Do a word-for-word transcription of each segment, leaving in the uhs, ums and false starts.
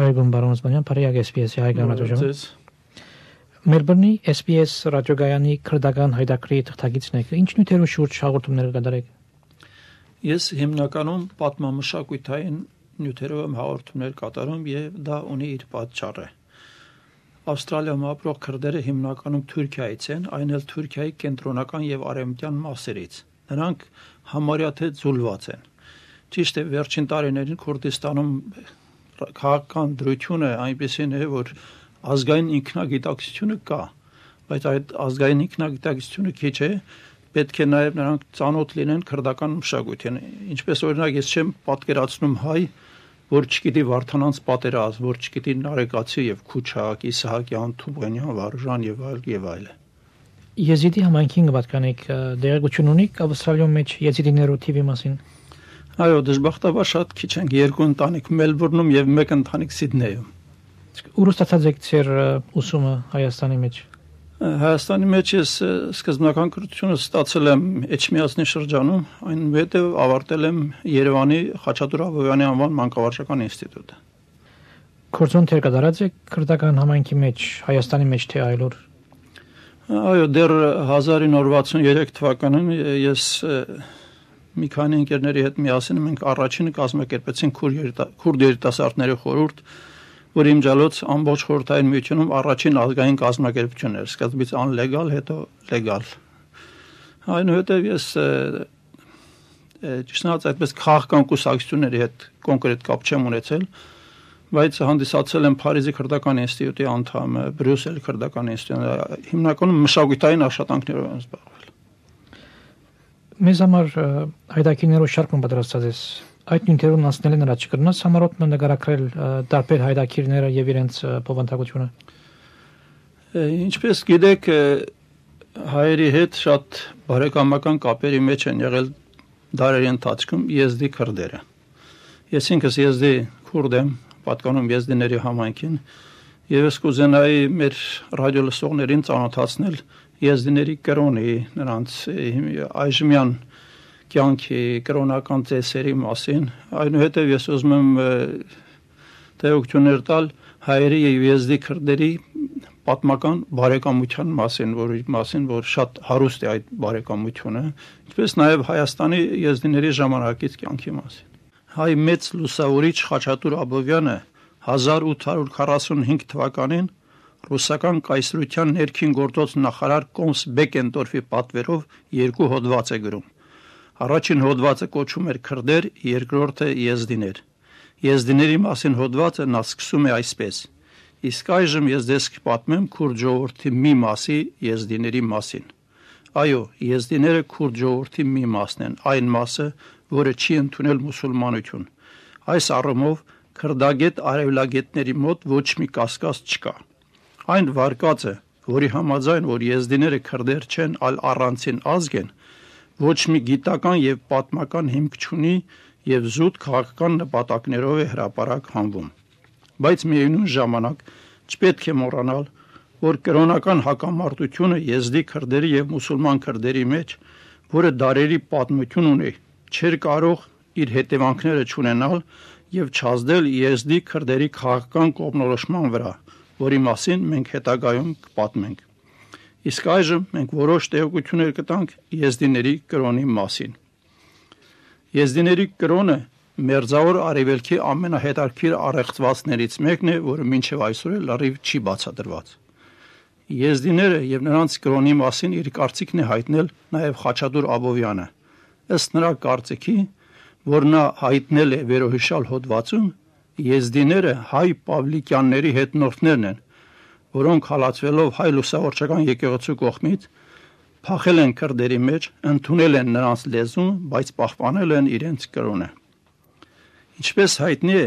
Բարեկամ բարոն Օսմանյան, Փարիգ էս պի էս-ի հայկական ռադիոժամ։ Մելբուրնի էս պի էս ռադիոգայանի քրդական հայտակրի թղթակիցն եք։ Ինչ նյութերով շուրջ հաղորդումներ կատարեք։ Ես հիմնականում պատմամշակութային նյութերով եմ հաղորդումներ կատարում եւ դա ունի իր պատճառը։ Ավստրալիայում ապրող քրդերը հիմնականում Թուրքիայից են, այն էլ Թուրքիայի կենտրոնական եւ արևմտյան մասերից։ Նրանք համարյա թե ձուլված են։ Ճիշտ է, վերջին տարիներին Քուրդիստանում քաղաքական դրությունը այնպեսին է, որ ազգային ինքնագիտակցությունը կա, բայց այդ ազգային ինքնագիտակցությունը քիչ է, պետք է նաև նրանք ծանոթ լինեն քրդական մշակույթին։ Ինչպես օրինակ ես չեմ պատկերացնում հայ, որ չգիտի Վարդանանց պատերազմ, որ չգիտի Նարեկացի եւ Քուչակ, Իսահակյան, Թուբանյան, Վարուժան եւ այլ եւ այլ։ Եզիդի համայնքին կպատկանեք դերակցություն ունիք Ավստրալիայում մեջ եզիդիներու թիվի մասին։ Այո, դժբախտաբար շատ քիչ են, երկու ընտանիք Մելբուրնում եւ մեկ ընտանիք Սիդնեյում։ Ուր ստացած եք ձեր ուսումը Հայաստանի մեջ։ Հայաստանի մեջ ես սկզբնական կրթությունը ստացել եմ Էջմիածնի շրջանում, այնուհետև ավարտել եմ Երևանի Խաչատուր Աբովյանի անվան մանկավարժական ինստիտուտը։ Կորձոն թեր կատարած եք քրդական համայնքի մեջ Հայաստանի մեջ թե այլուր։ Այո, դեռ հազար ինը հարյուր վաթսուներեք թվականին ես մի քանի ընկերների հետ միասին մենք առաջինը կազմակերպեցինք քուրդ երիտասարդների խորհուրդ, որ իմջալոց ամբողջ խորհրդային միությունում առաջին ազգային կազմակերպությունն էր, սկզբից անլեգալ, հետո լեգալ։ Այնուհետև ես ճիշտ այդպես քաղաքական կուսակցությունների հետ կոնկրետ կապ չեմ ունեցել, բայց հանդիսացել եմ Փարիզի քրդական ինստիտուտի անդամ, Բրյուսելի քրդական ինստիտուտի, հիմնականում մշակութային աշխատանքներով եմ զբաղվել։ Մեզ համար հայտակիրներով շարք պատրաստած ես։ Այդ նյութերուն անցնել են առաջ կրնաս համարոտ նկարագրել տարբեր հայտակիրները եւ իրենց բովանդակությունը։ Ինչպես գիտեք, հայերի հետ շատ բարեկամական կապերի մեջ են եղել դարերի ընթացքում եզդի քրդերը։ Ես ինքս եզդի քուրդ եմ, պատկանում եզդիների համայնքին, եւ ես կուզենայի մեր ռադիոլսողներին ծանոթացնել եզդիների կրոնի, նրանց այժմյան կյանքի կրոնական ծեսերի մասին, այնուհետև ես ուզում եմ տեղեկություններ տալ հայերի եւ եզդի քրդերի պատմական բարեկամության մասին, որի մասին որ շատ հարուստ է այդ բարեկամությունը, ինչպես նաեւ Հայաստանի եզդիների ժամանակից կյանքի մասին։ Հայ մեծ լուսավորիչ Խաչատուր Աբովյանը հազար ութ հարյուր քառասունհինգ թվականին ռուսական կայսրության ներքին գործոց նախարար Կոմս Բեկենտորֆի պատվերով երկու հոդված է գրում։ Առաջին հոդվածը կոչվում էր քրդեր, երկրորդը եզդիներ։ Եզդիների մասին հոդվածը նա սկսում է այսպես. Իսկ այժմ ես ձեզ կպատմեմ քուրդ ժողովրդի մի մասի եզդիների մասին։ Այո, եզդիները քուրդ ժողովրդի մի մասն են, այն մասը, որը չի ընդունել մուսուլմանություն։ Այս առումով քրդագետ արևելագետների մոտ ոչ մի կասկած չկա։ Այն վարկածը, որի համաձայն որ եզդիները քրդեր չեն, այլ առանցին ազգ են, ոչ մի գիտական եւ պատմական հիմք չունի եւ զուտ քաղաքական նպատակներով է հրապարակ հանվում։ Բայց միևնույն ժամանակ չպետք է մոռանալ, որ կրոնական հակամարտությունը եզդի քրդերի եւ մուսուլման քրդերի մեջ, որը դարերի պատմություն ունի, չէր կարող իր հետևանքները չունենալ եւ չազդել եզդի քրդերի քաղաքական կողմնորոշման վրա, որի մասին մենք հետագայում կպատմենք։ Իսկ այժմ մենք որոշ տեղեկություններ կտանք եզդիների կրոնի մասին։ Եզդիների կրոնը Մերձավոր Արևելքի ամենահետաքրքիր առեղծվածներից մեկն է, որը մինչև այսօր լրիվ չի բացատրված։ Եզդիները եւ նրանց կրոնի մասին իր կարծիքն է հայտնել նաեւ Խաչատուր Աբովյանը։ Ըստ նրա կարծիքի, որ նա հայտնել է վերոհիշալ հոդվածում, եզդիները հայ պավլիկյանների հետնորդներն են, որոնք հալածվելով հայ լուսավորչական եկեղեցու կողմից փախել են քրդերի մեջ, ընդունել են նրանց լեզուն, բայց պահպանել են իրենց կրոնը։ Ինչպես հայտնի է,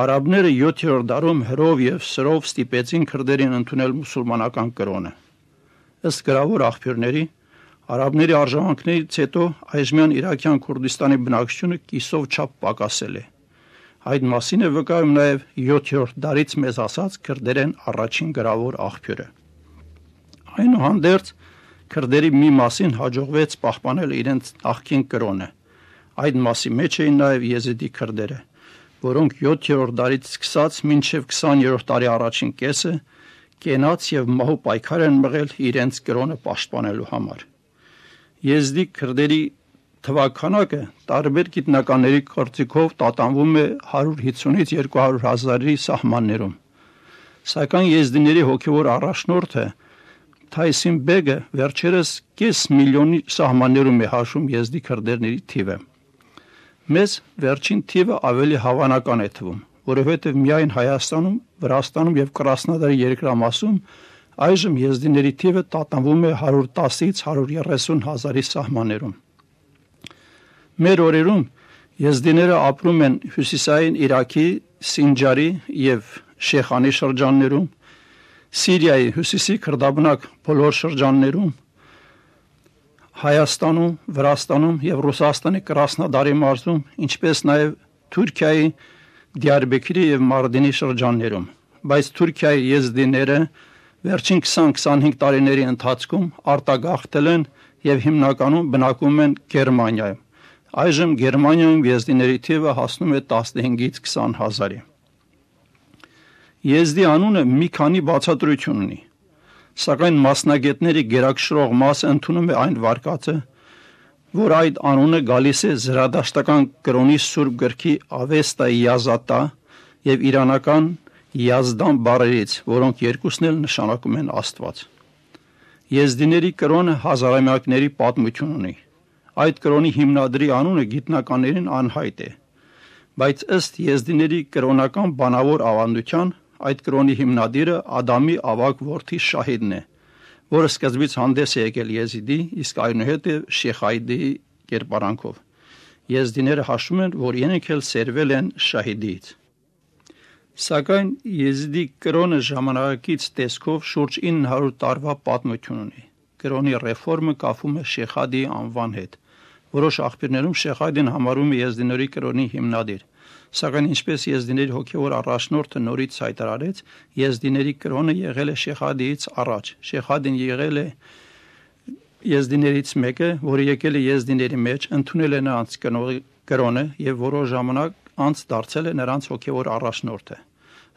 արաբները յոթերորդ դարում հրով եւ սրով ստիպեցին քրդերին ընդունել մուսուլմանական կրոնը։ Ըստ գրավոր աղբյուրների, արաբների արժանանքներից հետո այժմյան Իրաքյան Քուրդիստանի բնակչությունը կիսով չափ պակասել է։ Այդ մասին է վկայում նաև յոթերորդ դարից մեզ ասած քրդերեն առաջին գրավոր աղբյուրը։ Այնուհանդերձ քրդերի մի մասին հաջողվեց պահպանել իրենց նախկին կրոնը։ Այդ մասի մեջ էին նաև եզիդի քրդերը, որոնք յոթերորդ դարից սկսած մինչև քսաներորդ դարի առաջին կեսը կենաց եւ մահու պայքար են մղել իրենց կրոնը պաշտպանելու համար։ Եզդի քրդերի թվականակը տարբեր գիտնականների կարծիքով տատանվում է հարյուր հիսունից երկու հարյուր հազարի սահմաններում, սակայն եզդիների հոգևոր առաջնորդը Թայսին Բեգը վերջերս կես միլիոնի սահմաններում է հաշվում եզդի քրդերների թիվը։ Մեզ վերջին թիվը ավելի հավանական է թվում, որովհետև միայն Հայաստանում, Վրաստանում եւ Կրասնոդարի երկրամասում այժմ եզդիների թիվը տատանվում է հարյուր տասից հարյուր երեսուն հազարի սահմաններում։ Մեր օրերում եզդիները ապրում են հյուսիսային Իրաքի, Սինջարի եւ Շեխանի շրջաններում, Սիրիայի հյուսիսի քրդաբնակ բոլոր շրջաններում, Հայաստանում, Վրաստանում եւ Ռուսաստանի Կրասնոդարի մարզում, ինչպես նաեւ Թուրքիայի Դիարբեքիրի եւ Մարդինի շրջաններում, բայց Թուրքիայի եզդիները վերջին քսան-քսանհինգ տարիների ընթացքում արտագաղթել են եւ հիմնականում բնակվում են Գերմանիայում։ Այժմ Գերմանիայում եզդիների թիվը հասնում է տասնհինգից քսան հազարի։ Եզդի անունը մի քանի բացատրություն ունի, սակայն մասնագետների գերակշռող մասը ընդունում է այն վարկածը, որ այդ անունը գալիս է զրադաշտական կրոնի սուրբ գրքի Ավեստա Յազատա եւ իրանական Յազդան բառերից, որոնք երկուսն էլ նշանակում են Աստված։ Եզդիների կրոնը հազարամյակների պատմություն ունի։ Այդ կրոնի հիմնադրի անունը գիտնականներին անհայտ է, բայց ըստ եզդիների կրոնական բանավոր ավանդության այդ կրոնի հիմնադիրը Ադամի ավագ որդի Շահիդն է, որը սկզբից հանդես է եկել Եզիդի, իսկ այնուհետև Շեխայդի կերպարանքով։ Եզդիները հաշվում են, որ իրենք էլ սերվել են Շահիդից։ Սակայն Եզիդի կրոնը ժամանակակից տեսքով շուրջ ինը հարյուր տարվա պատմություն ունի։ Կրոնի ռեֆորմը կապվում է Շեխադի անվան հետ։ Որոշ աղբյուրներում Շեխադին համարում է եզդիների կրոնի հիմնադիր, սակայն ինչպես եզդիների հոգևոր առաջնորդը նորից հայտարարեց, եզդիների կրոնը եղել է Շեխադիից առաջ։ Շեխադին եղել է եզդիներից մեկը, որը եկել է եզդիների մեջ, ընդունել է նրանց կրոնը եւ որոշ ժամանակ անց դարձել է նրանց հոգևոր առաջնորդը։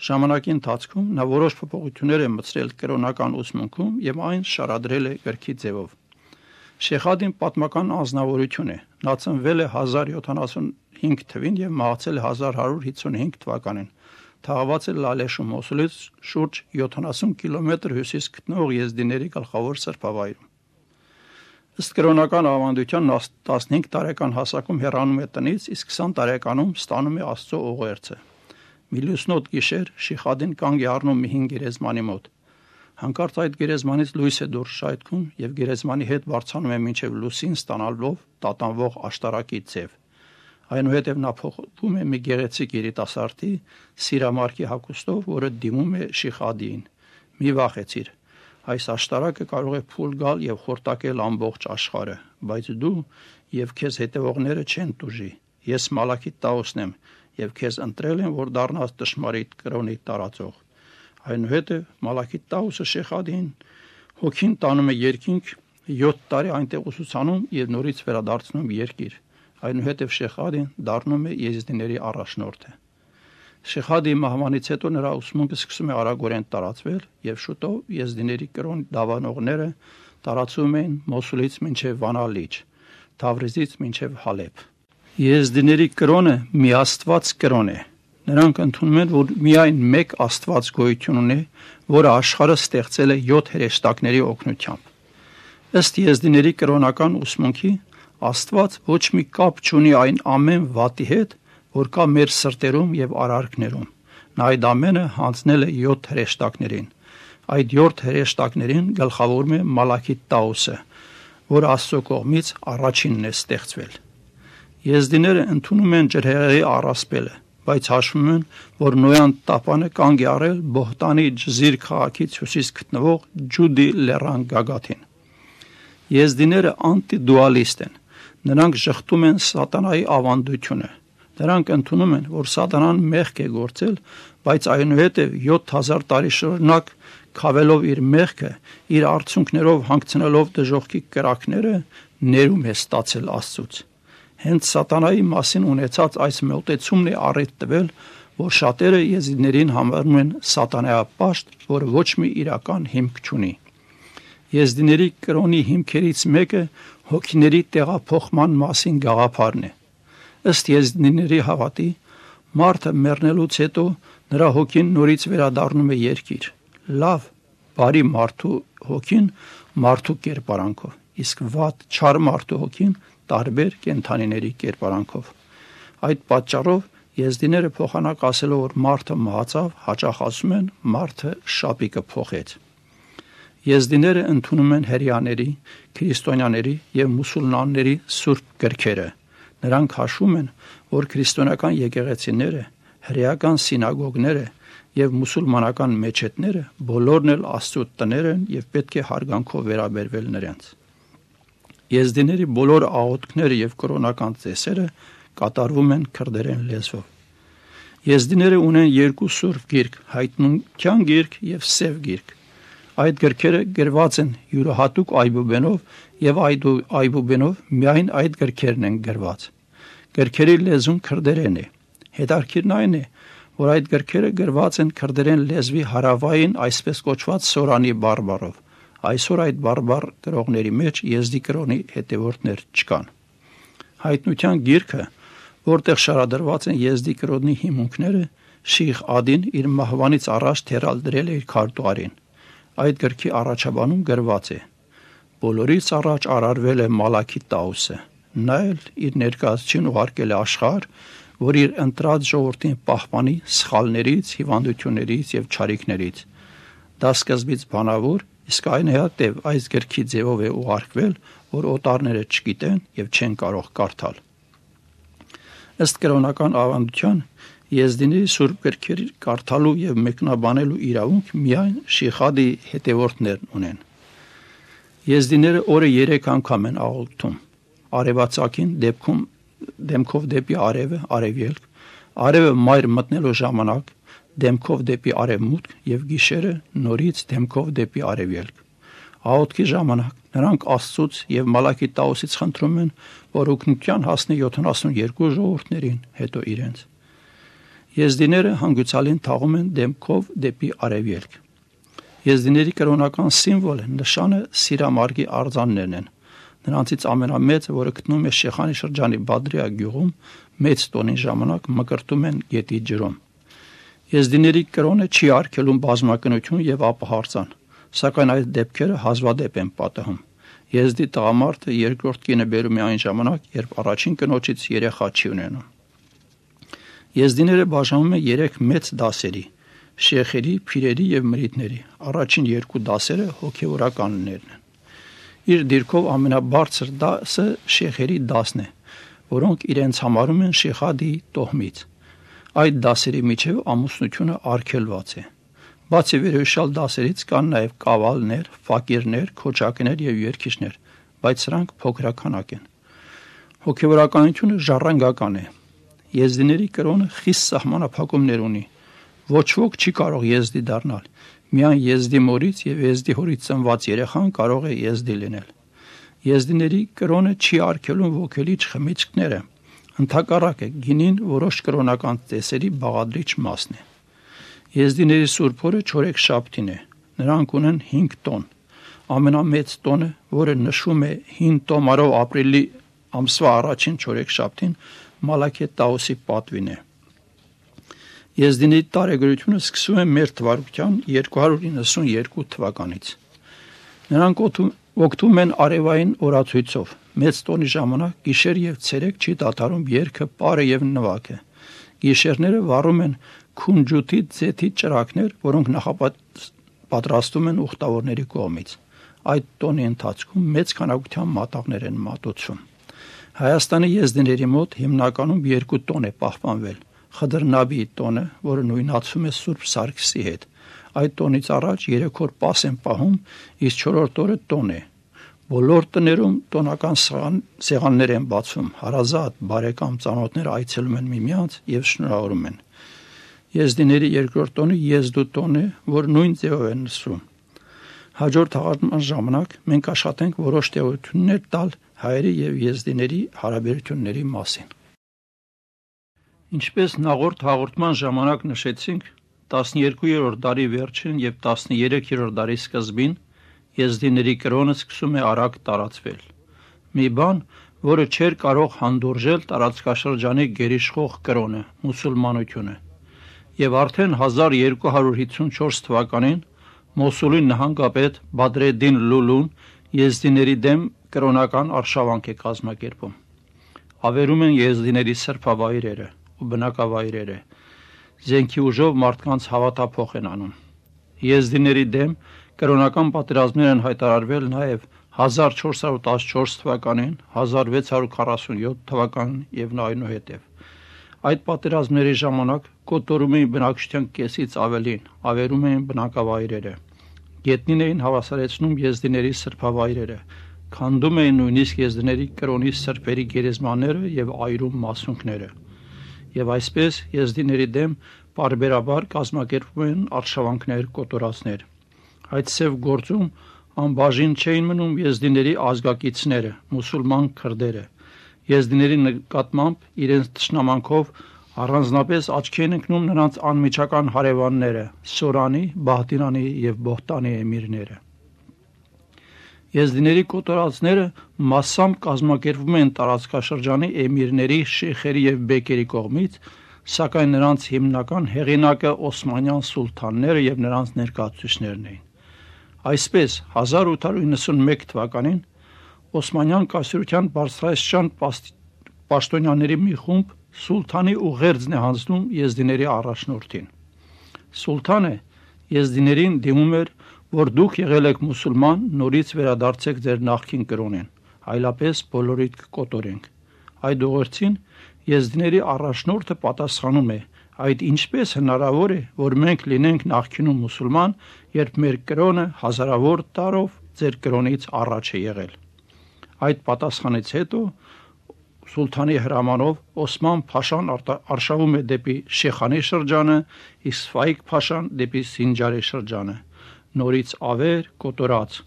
Ժամանակի ընթացքում նա որոշ փոփոխություններ է մտցրել կրոնական ուսմունքում եւ այն շարադրել է գրքի ձևով։ Շեխադին պատմական անձնավորություն է։ Նա ծնվել է հազար յոթանասունհինգ թվին եւ մահացել է հազար հարյուր հիսունհինգ թվականին։ Թաղված է Լալեշու Մոսուլից շուրջ յոթանասուն կիլոմետր հյուսիս գտնվող եզդիների գլխավոր սրբավայրում։ Ըստ կրոնական ավանդության նա տասնհինգ տարեկան հասակում հեռանում է տնից, իսկ քսան տարեկանում ստանում է Աստծո ուղերձը։ Մի լուսնոտ գիշեր Շեխադին կանգ է առնում մի հին գերեզմանի մոտ։ Հանկարծ այդ գերեզմանից լույս է դուրս շայթքում եւ գերեզմանի հետ բարձրանում է մինչեւ լուսին ստանալով տատանվող աշտարակի ձև։ Այնուհետև նա փոխվում է մի գեղեցիկ երիտասարդի սիրամարգի հագուստով, որը դիմում է Շեխադիին։ Մի վախեցիր, այս աշտարակը կարող է փուլ գալ եւ խորտակել ամբողջ աշխարհը, բայց դու եւ քեզ հետևողները չեն տուժի։ Ես Մալաքիտ Տաուսն եմ եւ քեզ ընտրել եմ, որ դառնաս ճշմարիտ կրոնի տարածող։ Այնուհետև Մալաքիտ Տաուսը Շեխադին հոգին տանում է երկինք, յոթ տարի այնտեղ ուսուցանում եւ նորից վերադարձնում երկիր։ Այնուհետև Շեխադին դառնում է եզդիների առաջնորդը։ Շեխադի մահվանից հետո նրա ուսմունքը սկսում է արագորեն տարածվել եւ շուտով եզդիների կրոն դավանողները տարածում են Մոսուլից մինչեւ Վանալիջ, Թավրիզից մինչեւ Հալեբ։ Եզդիների կրոնը միաստված կրոն է։ Նրանք ընդունում են, որ միայն մեկ Աստված գոյություն ունի, որը աշխարհը ստեղծել է յոթ հրեշտակների օգնությամբ։ Ըստ եզդիների կրոնական ուսմունքի, Աստված ոչ մի կապ չունի այն ամեն վատի հետ, որ կա մեր սրտերում եւ արարքներում։ Նա այդ ամենը հանձնել է յոթ հրեշտակներին։ Այդ յոթ հրեշտակներին գլխավորում է Մալաքիտ Տաուսը, որ Աստծո կողմից առաջինն է ստեղծվել։ Եզդիները ընդունում են ջրհեղեղի առասպելը, բայց հաշվում են, որ Նոյան տապանը կանգ է առել Բոհտանի Ջզիր քաղաքից հյուսիս գտնվող Ջուդի լեռան գագաթին։ Եզդիները անտիդուալիստ են։ Նրանք շղթում են սատանայի ավանդությունը։ Նրանք ընդունում են, որ սատանան մեղք է գործել, բայց այնուհետև յոթ հազար տարի շարունակ քավելով իր մեղքը, իր արցունքներով հանգցնելով դժոխքի կրակները, ներում է ստացել Աստծուց։ Հենց սատանայի մասին ունեցած այս մոտեցումն է առիթ տվել, որ շատերը եզիդներին համարում են սատանայապաշտ, որը ոչ մի իրական հիմք չունի։ Եզդիների կրոնի հիմքերից մեկը հոգիների տեղափոխման մասին գաղափարն է։ Ըստ եզդիների հավատի, մարդը մեռնելուց հետո նրա հոգին նորից վերադառնում է երկիր։ Լավ, բարի մարդու հոգին մարդու կերպարանքով, իսկ վատ, չար մարդու հոգին տարբեր կենդանիների կերպարանքով։ Այդ պատճառով եզդիները փոխանակասելով, որ մարդը մահացավ, հաճախ ասում են մարդը շապիկը փոխեց։ Եզդիները ընդունում են հրեաների, քրիստոնյաների և մուսուլմանների սուրբ գրքերը։ Նրանք հաշվում են, որ քրիստոնեական եկեղեցիները, հրեական սինագոգները և մուսուլմանական մեչեթները բոլորն էլ Աստծո տներ են և պետք է հարգանքով վերաբերվել նրանց։ Եզդիների բոլոր աղոթքները և կրոնական ծեսերը կատարվում են քրդերեն լեզվով։ Եզդիները ունեն երկու սուրբ գիրք՝ հայտնության գիրք և սև գիրք։ Այդ գրքերը գրված են յուրահատուկ այբուբենով և այդ այբուբենով միայն այդ գրքերն են գրված։ Գրքերի լեզուն քրդերեն է։ Հետաքրքիրն այն է, որ այդ գրքերը գրված են քրդերեն լեզվի հարավային այսպես կոչված սորանի բարբառով։ Այսօր այդ բարբառ գրողների մեջ եզդի կրոնի հետևորդներ չկան։ Հայտնության գիրքը, որտեղ շարադրված են եզդի կրոնի հիմունքները, Շիխ Ադին իր մահվանից առաջ թերալդրել է իր քարտուղարին։ Այդ գրքի առաջաբանում գրված է. բոլորից առաջ արարվել է Մալաքի Տաուսը, նա էլ իր ներկայացուցին ուղարկել է աշխարհ, որ իր ընտրած ժողովրդին պահպանի սխալներից, հիվանդություններից և չարիքներից։ Դա սկզբից բանավոր, իսկ այնուհետև այս գրքի ձևով է ուղարկվել, որ օտարները չգիտեն և չեն կարող կարդալ։ Ըստ կրոնական ավանդության, եզդիների սուրբ գրքերի կարդալու և մեկնաբանելու իրավունք միայն Շիխադի հետևորդներն ունեն։ Եզդիները օրը երեք անգամ են աղոթում. արևածագին դեպքում դեմքով դեպի արևը, արևելք, արևը մայր մտնելու ժամանակ դեմքով դեպի արևմուտք և գիշերը նորից դեմքով դեպի արևելք։ Աղոթքի ժամանակ նրանք Աստծուց և Մալաքի Տաուսից խնդրում են, որ օգնության հասնի յոթանասունյոթ ժողովուրդներին, հետո իրենց։ Եզդիները հանգուցալին թաղում են դեմքով դեպի արևելք։ Եզդիների կրոնական սիմվոլը, նշանը սիրամարգի արձաններն են։ Նրանցից ամենամեծը, որը գտնվում է Շեխանի շրջանի Բադրիա գյուղում, մեծ տոնի ժամանակ մկրտում են գետի ջրում։ Եզդիների կրոնը չի արգելում բազմակնություն և ապահարծան, սակայն այդ դեպքերը հազվադեպ են պատահում։ Եզդի տղամարդը երկրորդ կինը բերում է այն ժամանակ, երբ առաջին կնոջից երեխա չի ունենում։ Եզդիները բաժանում են երեք մեծ դասերի՝ շեխերի, փիրերի և մրիտների։ Առաջին երկու դասերը հոգևորականներն են։ Իր դիրքով ամենաբարձր դասը շեխերի դասն է, որոնք իրենց համարում են Շիխադի տոհմից։ Այդ դասերի միջև ամուսնությունը արգելված է։ Բացի վերոյշյալ դասերից կան նաև կավալներ, ֆակիրներ, քոչակներ և երգիչներ, բայց սրանք փոքրաքանակ են։ Հոգևորականությունը ժառանգական է։ Եզդիների կրոնը խիստ սահմանափակումներ ունի։ Ոչ ոք չի կարող եզդի դառնալ։ Միայն եզդի մորից և եզդի հորից ծնված երեխան կարող է եզդի լինել։ Եզդիների կրոնը չի արգելում ոգելիչ խմիչքները։ Ընդհակառակը, գինին որոշ կրոնական ծեսերի բաղադրիչ մասն է։ Եզդիների սուրբ օրը չորեքշաբթին է։ Նրանք ունեն հինգ տոն։ Ամենամեծ տոնը, որը նշվում է հին տոմարով ապրիլի ամսվա առաջին չորեքշաբթին, Մալաքի Տաուսի պատվին է։ Եզդիների տարեգրությունը սկսվում է մեր թվարկության երկու հարյուր իննսունյոթ թվականից։ Նրանք օգտվում են արևային օրացույցով։ Մեծ տոնի ժամանակ գիշեր և ցերեկ չի դադարում երգը, պարը և նվագը։ Գիշերները վառում են քունջութի ձեթի ճրագներ, որոնք նախապատրաստում են ուխտավորների կողմից։ Այդ տոնի ընթացքում մեծ քանակությամբ մատաղներ են մատուցվում։ Հայաստանի եզդիների մոտ հիմնականում երկու տոն է պահպանվել։ Խդրնաբիի տոնը, որը նույնացվում է Սուրբ Սարգսի հետ։ Այդ տոնից առաջ երեք օր պաս են պահում, իսկ չորրորդ օրը տոն է։ Բոլոր տներում տոնական սեղաններ են բացվում, հարազատ, բարեկամ ծանոթները այցելում են միմյանց և շնորհավորում են։ Եզդիների երկրորդ տոնը եզդու տոն է, որ նույն ձևով է նշվում։ Հաջորդ հաղորդման ժամանակ մենք աշխատենք որոշ տեղություններ տալ հայերի եւ եզդիների հարաբերությունների մասին։ Ինչպես նախորդ հաղորդման ժամանակ նշեցինք, տասներկուերորդ դարի վերջին եւ տասներեքերորդ դարի սկզբին եզդիների կրոնը սկսում է արագ տարածվել։ Մի բան, որը չէր կարող հանդուրժել տարածքաշրջանի գերիշխող կրոնը, մուսուլմանությունը, եւ արդեն հազար երկու հարյուր հիսունչորս թվականին Մոսուլի նահանգապետ Բադրեդդին Լուլուն եզդիների դեմ կրոնական արշավանք է կազմակերպում։ Ավերում են եզդիների սրբավայրերը ու բնակավայրերը, զենքի ուժով մարդկանց հավատափոխ են անում։ Եզդիների դեմ կրոնական պատերազմներ են հայտարարվել նաև հազար չորս հարյուր տասնչորս թվականին, հազար վեց հարյուր քառասունյոթ թվականին եւ այնուհետև։ Այդ պատերազմների ժամանակ կոտորում էին բնակչության կեսից ավելին, ավերում էին բնակավայրերը, գետնին էին հավասարեցնում եզդիների սրբավայրերը, քանդում էին նույնիսկ եզդիների կրոնի սրբերի գերեզմանները եւ այրում մասունքները։ Եվ այսպես եզդիների դեմ բարբերաբար կազմակերպվում են արշավանքներ, կոտորածներ։ Այդ ծև գործում անբաժին չէին մնում եզդիների ազգակիցները, մուսուլման քրդերը։ Եզդիների նկատմամբ իրենց թշնամանքով առանձնապես աչքի են ընկնում նրանց անմիջական հարևանները՝ Սորանի, Բահդինանի եւ Բոհտանի էմիրները։ Եզդիների կոտորածները massամբ կազմակերպվում են տարածքաշրջանի էմիրների, շեյխերի եւ բեկերի կողմից, սակայն նրանց հիմնական հեղինակը օսմանյան սուլթանները եւ նրանց ներկայացուցիչներն էին։ Այսպես հազար ութ հարյուր իննսունմեկ թվականին Օսմանյան կայսրության բարձրաստիճան պաշտոնյաների մի խումբ սուլթանի ուղերձն է հանձնում եզդիների առաջնորդին։ Սուլթանը եզդիներին դիմում էր, որ դուք եղել եք մուսուլման, նորից վերադարձեք ձեր նախկին կրոնին, այլապես բոլորիդ կկոտորենք։ Այդ ուղերձին եզդիների առաջնորդը պատասխանում է. այդ ինչպես հնարավոր է, որ մենք լինենք նախկինում մուսուլման, երբ մեր կրոնը հազարավոր տարով ձեր կրոնից առաջ է եղել։ Այդ պատասխանից հետո սուլթանի հրամանով Օսման Փաշան արշավում է դեպի Շեխանի շրջանը, իսկ Ֆայիկ Փաշան դեպի Սինջարի շրջանը, նորից ավեր, կոտորած։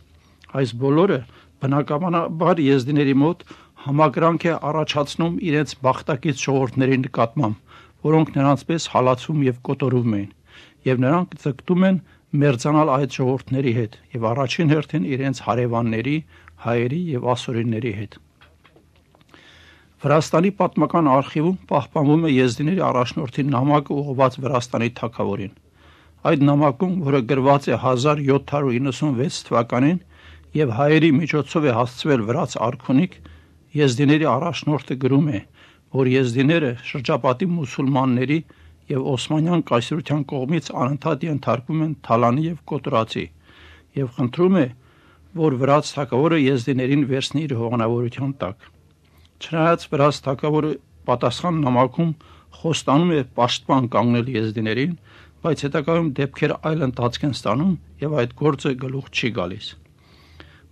Այս բոլորը բնականաբար եզդիների մոտ համակրանք է առաջացնում իրենց բախտակից ժողովուրդների նկատմամբ, որոնք նրանցպես հալածում եւ կոտորում էին, եւ նրանք ձգտում են մերձանալ այդ ժողովուրդների հետ եւ առաջին հերթին իրենց հարևանների, հայերի եւ ասորիների հետ։ Վրաստանի պատմական արխիվում պահպանվում է եզդիների առաջնորդի նամակը ուղղված Վրաստանի թագավորին։ Այդ նամակում, որը գրված է հազար յոթ հարյուր իննսունվեց թվականին եւ հայերի միջոցով է հասցվել վրաց արքունիք, եզդիների առաջնորդը գրում է, որ եզդիները շրջապատի մուսուլմանների եւ Օսմանյան կայսրության կողմից անընդհատ ենթարկվում են թալանի եւ կոտորածի եւ խնդրում է, որ վրաց թագավորը եզդիներին վերցնի իր հովանավորության տակ։ Չնայած վրաց թագավորը պատասխան նամակում խոստանում է պաշտպան կանգնել եզդիներին, բայց հետագայում դեպքերը այլ ընթացք են ստանում եւ այդ գործը գլուխ չի գալիս։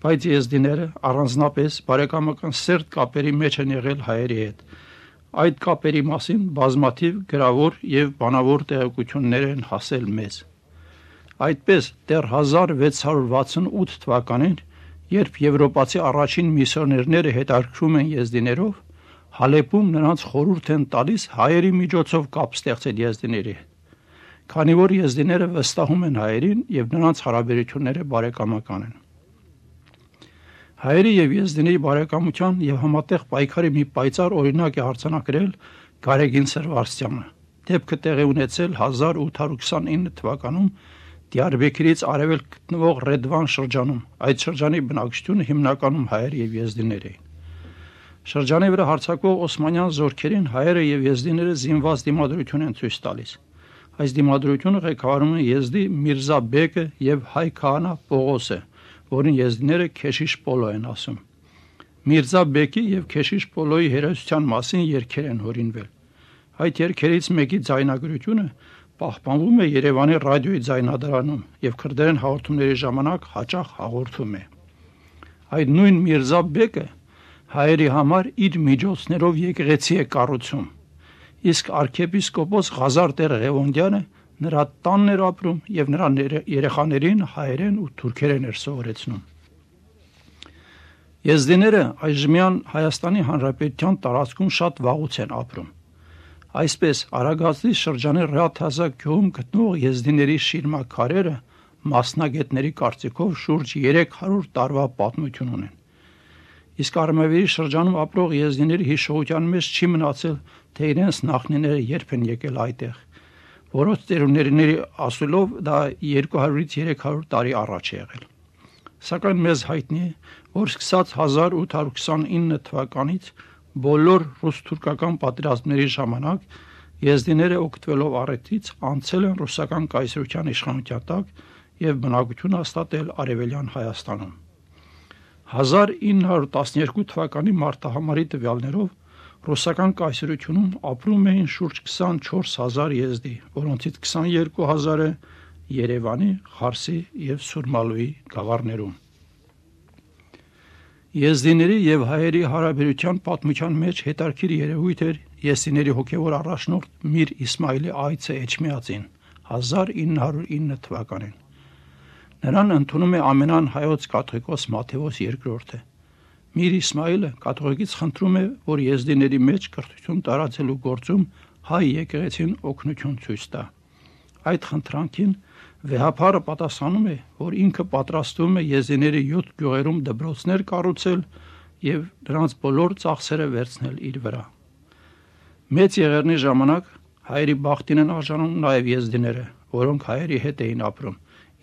Բայց եզդիները առանձնապես բարեկամական սերտ կապերի մեջ են եղել հայերի հետ։ Այդ կապերի մասին բազմաթիվ գրավոր եւ բանավոր տեղեկություններ են հասել մեզ։ Այդպես դեռ հազար վեց հարյուր վաթսունութ թվականին, երբ եվրոպացի առաջին միսիոներները հետաքրքրում են եզդիներով, Հալեպում նրանց խորհուրդ են տալիս հայերի միջոցով կապ ստեղծել եզդիների հետ, քանի որ եզդիները վստահում են հայերին եւ նրանց հարաբերությունները բարեկամական են։ Հայերի եւ եզդիների բարեկամության եւ համատեղ պայքարի մի պայծառ օրինակ է արձանագրել Գարեգին Սրվարսյանը։ Դեպքը տեղի ունեցել հազար ութ հարյուր քսանինը թվականում Դիարբեքիրից արևելք գտնվող Ռեդվան շրջանում։ Այդ շրջանի բնակչությունը հիմնականում հայեր եւ եզդիներ էին։ Շրջանի վրա հարձակվող օսմանյան զորքերին հայերը եւ եզդիները զինված դիմադրություն են ցույց տալիս։ Այս դիմադրությունը ղեկավարում են Եզդի Միրզա Բեկը եւ հայ քահանա Պողոսը, որին եզդիները Քեշիշ Պոլո են ասում։ Միրզա Բեկի եւ Քեշիշ Պոլոյի հերոսության մասին երգեր են հորինվել։ Այդ երգերից մեկի ձայնագրությունը պահպանվում է Երևանի ռադիոյի ձայնադարանում եւ քրդերեն հաղորդումների ժամանակ հաճախ հաղորդում է։ Այդ նույն Միրզա Բեկը հայերի համար իր միջոցներով եկեղեցի է կառուցում, իսկ arczepiskopos Ղազար տեր Ղևոնդյանը նրա տանն էր ապրում եւ նրա երեխաներին հայերեն ու թուրքերեն էր սովորեցնում։ Եզդիները այժմյան Հայաստանի Հանրապետության տարածքում շատ վաղուց են ապրում։ Այսպես Արագածի շրջանի Ռաթազա գյուղում գտնող եզդիների շիրմաքարերը մասնագետների կարծիքով շուրջ երեք հարյուր տարվա պատմություն ունեն։ Իսկ Արմավիրի շրջանում ապրող եզդիների հիշողության մեջ չի մնացել, թե իրենց նախնիները երբ են եկել այդտեղ, որոնց ծերունիների ասելով դա երկու հարյուրից երեք հարյուր տարի առաջ է եղել։ Սակայն մեզ հայտնի է, որ սկսած հազար ութ հարյուր քսանինը թվականից բոլոր ռուս-թուրքական պատերազմների ժամանակ եզդիները օգտվելով առիթից անցել են ռուսական կայսրության իշխանության տակ եւ բնակություն հաստատել Արևելյան Հայաստանում։ հազար ինը հարյուր տասներկու թվականի մարտահամարի տվյալներով ռուսական կայսրությունում ապրում էին շուրջ քսանչորս հազար եզդի, որոնցից քսաներկու հազարը Երևանի, Խարսի եւ Սուրմալուի գավառներում։ Եզդիների եւ հայերի հարաբերության պատմության մեջ հետարքիր երևույթ էր եզդիների հոգևոր առաջնորդ Միր Իսմայիլի այցը Էջմիածին հազար ինը հարյուր ինը թվականին։ Նրան ընդունում է ամենան հայոց կաթողիկոս Մաթեոս երկրորդը։ Միր Իսմայիլը կաթողիկից խնդրում է, որ եզդիների մեջ կրթություն տարածելու գործում հայ եկեղեցին օգնություն ցույց տա։ Այդ խնդրանքին վեհափարը պատասխանում է, որ ինքը պատրաստվում է եզդիների յոթ գյուղերում դպրոցներ կառուցել եւ նրանց բոլոր ծախսերը վերցնել իր վրա։ Մեծ եղերնի ժամանակ հայերի բախտին են արժանում նաեւ եզդիները, որոնք հայերի հետ էին ապրում,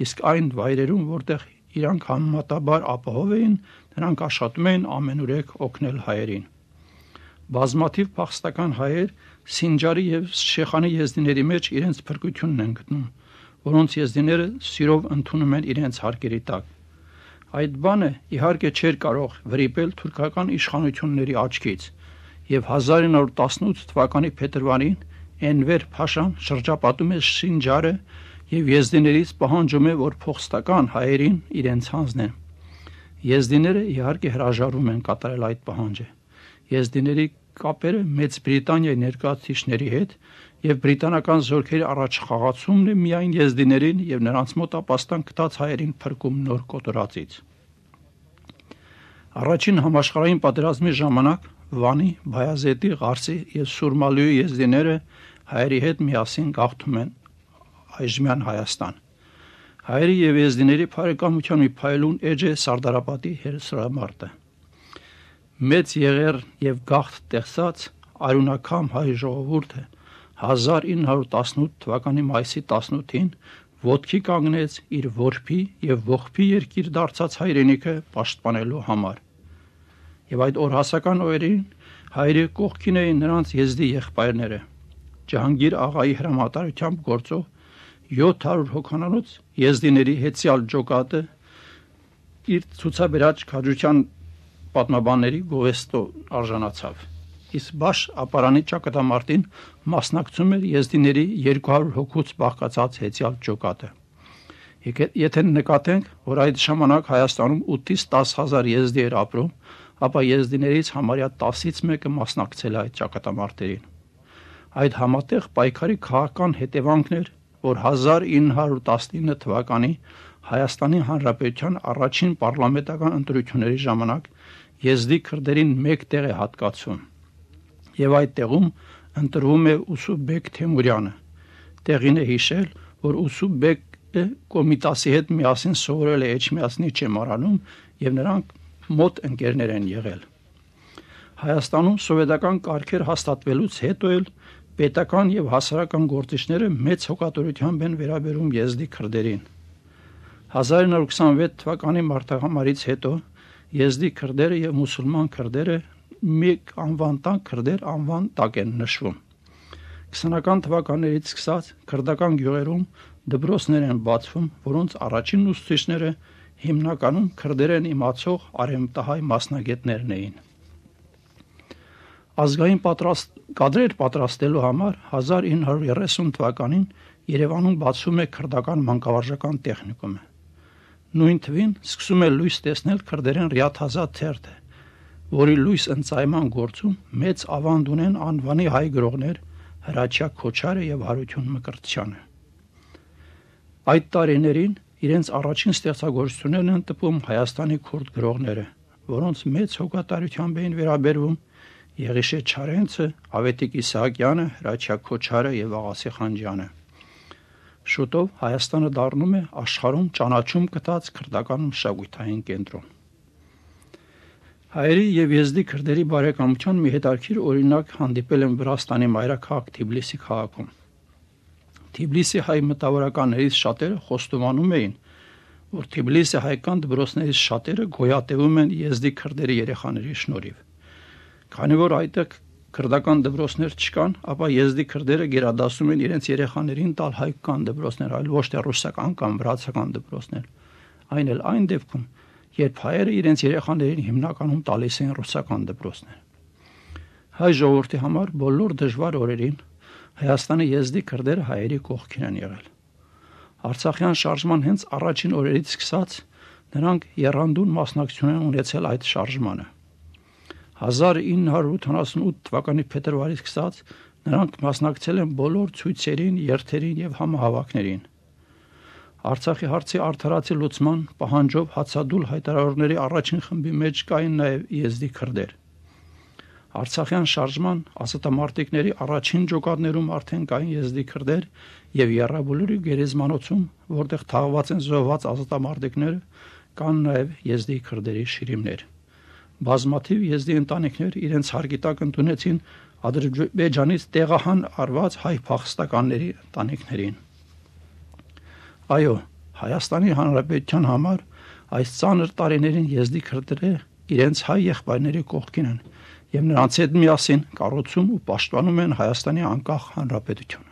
իսկ այն վայրերում, որտեղ իրանք համեմատաբար ապահով էին, նրանք աշխատում էին ամենուրեք օգնել հայերին։ Բազմաթիվ փախստական հայեր Սինջարի եւ Շեխանի եզդիների մեջ իրենց փրկությունն են գտնում, որոնց եզդիները սիրով ընդունում են իրենց հարկերի տակ։ Այդ բանը իհարկե չէր կարող վրիպել թուրքական իշխանությունների աչքից, եւ հազար ինը հարյուր տասնութ թվականի փետրվարին Էնվեր Փաշան շրջապատում է Սինջարը եւ եզդիներից պահանջում է, որ փոխստական հայերին իրենց հանձնեն։ Եզդիները իհարկե հրաժարվում են կատարել այդ պահանջը։ Եզդիների կապերը Մեծ Բրիտանիայի ներկայացուցիչների հետ եւ բրիտանական զորքերի առաջխաղացումն է միայն եզդիներին եւ նրանց մոտ ապաստան գտած հայերին փրկում նոր կոտորածից։ Առաջին համաշխարհային պատերազմի ժամանակ Վանի, Բայազետի, Ղարսի եւ Սուրմալուի եզդիները հայերի հետ միասին գաղթում են այժմյան Հայաստան։ Հայերի եւ եզդիների բարեկամության մի փայլուն էջ է Սարդարապատի հերոսամարտը։ Մեծ եղեր եւ գաղթ տեսած արյունակամ հայ ժողովուրդը հազար ինը հարյուր տասնութ թվականի մայիսի տասնութին ոտքի կանգնեց իր որբի եւ ողբի երկիր դարձած հայրենիքը պաշտպանելու համար։ Եվ այդ օրհասական օրերին հայրի կողքին էին նրանց եզդի եղբայրները։ Ջահանգիր աղայի հրամատարությամբ գործող յոթ հարյուր հոգանոց եզդիների հետսյալ ջոկատը իր ցուցաբերած քաջության պատմաբանների գովեստո արժանացավ։ Իսկ Բաշ ապարանի ճակատամարտին մասնակցում էր եզդիների երկու հարյուր հոգուց բաղկացած հետսյալ ջոկատը։ Եթե նկատենք, որ այդ ժամանակ Հայաստանում ութից տասը հազար եզդի էր ապրում, ապա եզդիներից համարյա տասից մեկը մասնակցել է այդ ճակատամարտերին։ Այդ համատեղ պայքարի քաղաքական հետևանքն էր, որ հազար ինը հարյուր տասնինը թվականի Հայաստանի Հանրապետության առաջին պարլամենտական ընտրությունների ժամանակ եզդի քրդերին մեկ տեղ է հատկացվում եւ այդ տեղում ընտրվում է Ուսուբեկ Թեմուրյանը։ Տեղին է հիշել, որ Ուսուբեկը Կոմիտասի հետ միասին սովորել է Էջմիածնի ճեմարանում եւ նրանք մոտ ընկերներ են եղել։ Հայաստանում սովետական կարգեր հաստատվելուց հետո էլ պետական եւ հասարակական գործիչները մեծ հոգատորությամբ են վերաբերում եզդի քրդերին։ հազար ինը հարյուր քսանվեց թվականի մարտահամարից հետո եզդի քրդերը եւ մուսուլման քրդերը մեկ անվան տակ քրդեր անվան տակ են նշվում։ քսանական թվականներից սկսած քրդական գյուղերում դպրոցներ են բացվում, որոնց առաջին ուսուցիչները հիմնականում քրդերեն իմացող արևմտահայ մասնագետներն էին։ Ազգային պատրաստ կադրեր պատրաստելու համար հազար ինը հարյուր երեսուն թվականին Երևանում բացվում է քրդական մանկավարժական տեխնիկումը։ Նույն թվին սկսում է լույս տեսնել քրդերեն Ռիաթազա թերթը, որի լույս ընծայման գործում մեծ ավանդ ունեն անվանի հայ գրողներ Հրաչյա Քոչարը եւ Հարություն Մկրտչյանը։ Այդ տարիներին իրենց առաջին ստեղծագործություններն են տպում Հայաստանի քուրդ գրողները որոնց մեծ հոգատարությամբ էին վերաբերվում Եղիշե Չարենցը, Ավետիք Իսահակյանը, Հրաչյա Քոչարը եւ Աղասի Խանջյանը։ Շուտով Հայաստանը դառնում է աշխարհում ճանաչում գտած քրդական մշակութային կենտրոն։ Հայերի եւ եզդի քրդերի բարեկամության մի հետաքրքիր օրինակ հանդիպել են Վրաստանի մայրաքաղաք Թիբլիսի քաղաքում։ Թիբլիսի հայ մտավորականներից շատերը խոստովանում էին, որ Թիբլիսի հայկական դպրոցներից շատերը գոյատևում են եզդի քրդերի երեխաների շնորհիվ։ Քանի որ այդտեղ քրդական դպրոցներ չկան, ապա եզդի քրդերը գերադասում են իրենց երեխաներին տալ հայկական դպրոցներ, այլ ոչ թե ռուսական կամ վրացական դպրոցներ։ Այն էլ այն դեպքում, երբ հայերը իրենց երեխաներին հիմնականում տալիս են ռուսական դպրոցներ։ Հայ ժողովրդի համար բոլոր դժվար օրերին Հայաստանի եզդի քրդերը հայերի կողքին են եղել։ Արցախյան շարժման հենց առաջին օրերից սկսած նրանք եռանդուն մասնակցություն են ունեցել այդ շարժմանը։ հազար ինը հարյուր ութանասունութ թվականի փետրվարից սկսած նրանք մասնակցել են բոլոր ցույցերին, երթերին եւ համահավաքներին։ Արցախի հարցի արդարացի լուծման պահանջով հացադուլ հայտարարողների առաջին խմբի մեջ կային նաեւ եզդի քրդեր։ Արցախյան շարժման ասատամարտիկների առաջին ջոկատներում արդեն կային եզդի քրդեր եւ Եռաբոլորի գերեզմանոցում, որտեղ թաղված են զոհված ասատամարտիկները, կան նաեւ եզդի քրդերի շիրիմներ։ Բազմաթիվ եզդի ընտանիքներ իրենց հարգի տակ ընդունեցին Ադրբեջանից տեղահան արված հայ փախստականների ընտանիքներին։ Այո, Հայաստանի Հանրապետության համար այս ծանր տարիներին եզդի քրդերը իրենց հայ եղբայրների կողքին են եւ նրանց հետ միասին կառուցում ու պաշտպանում են Հայաստանի անկախ հանրապետությունը։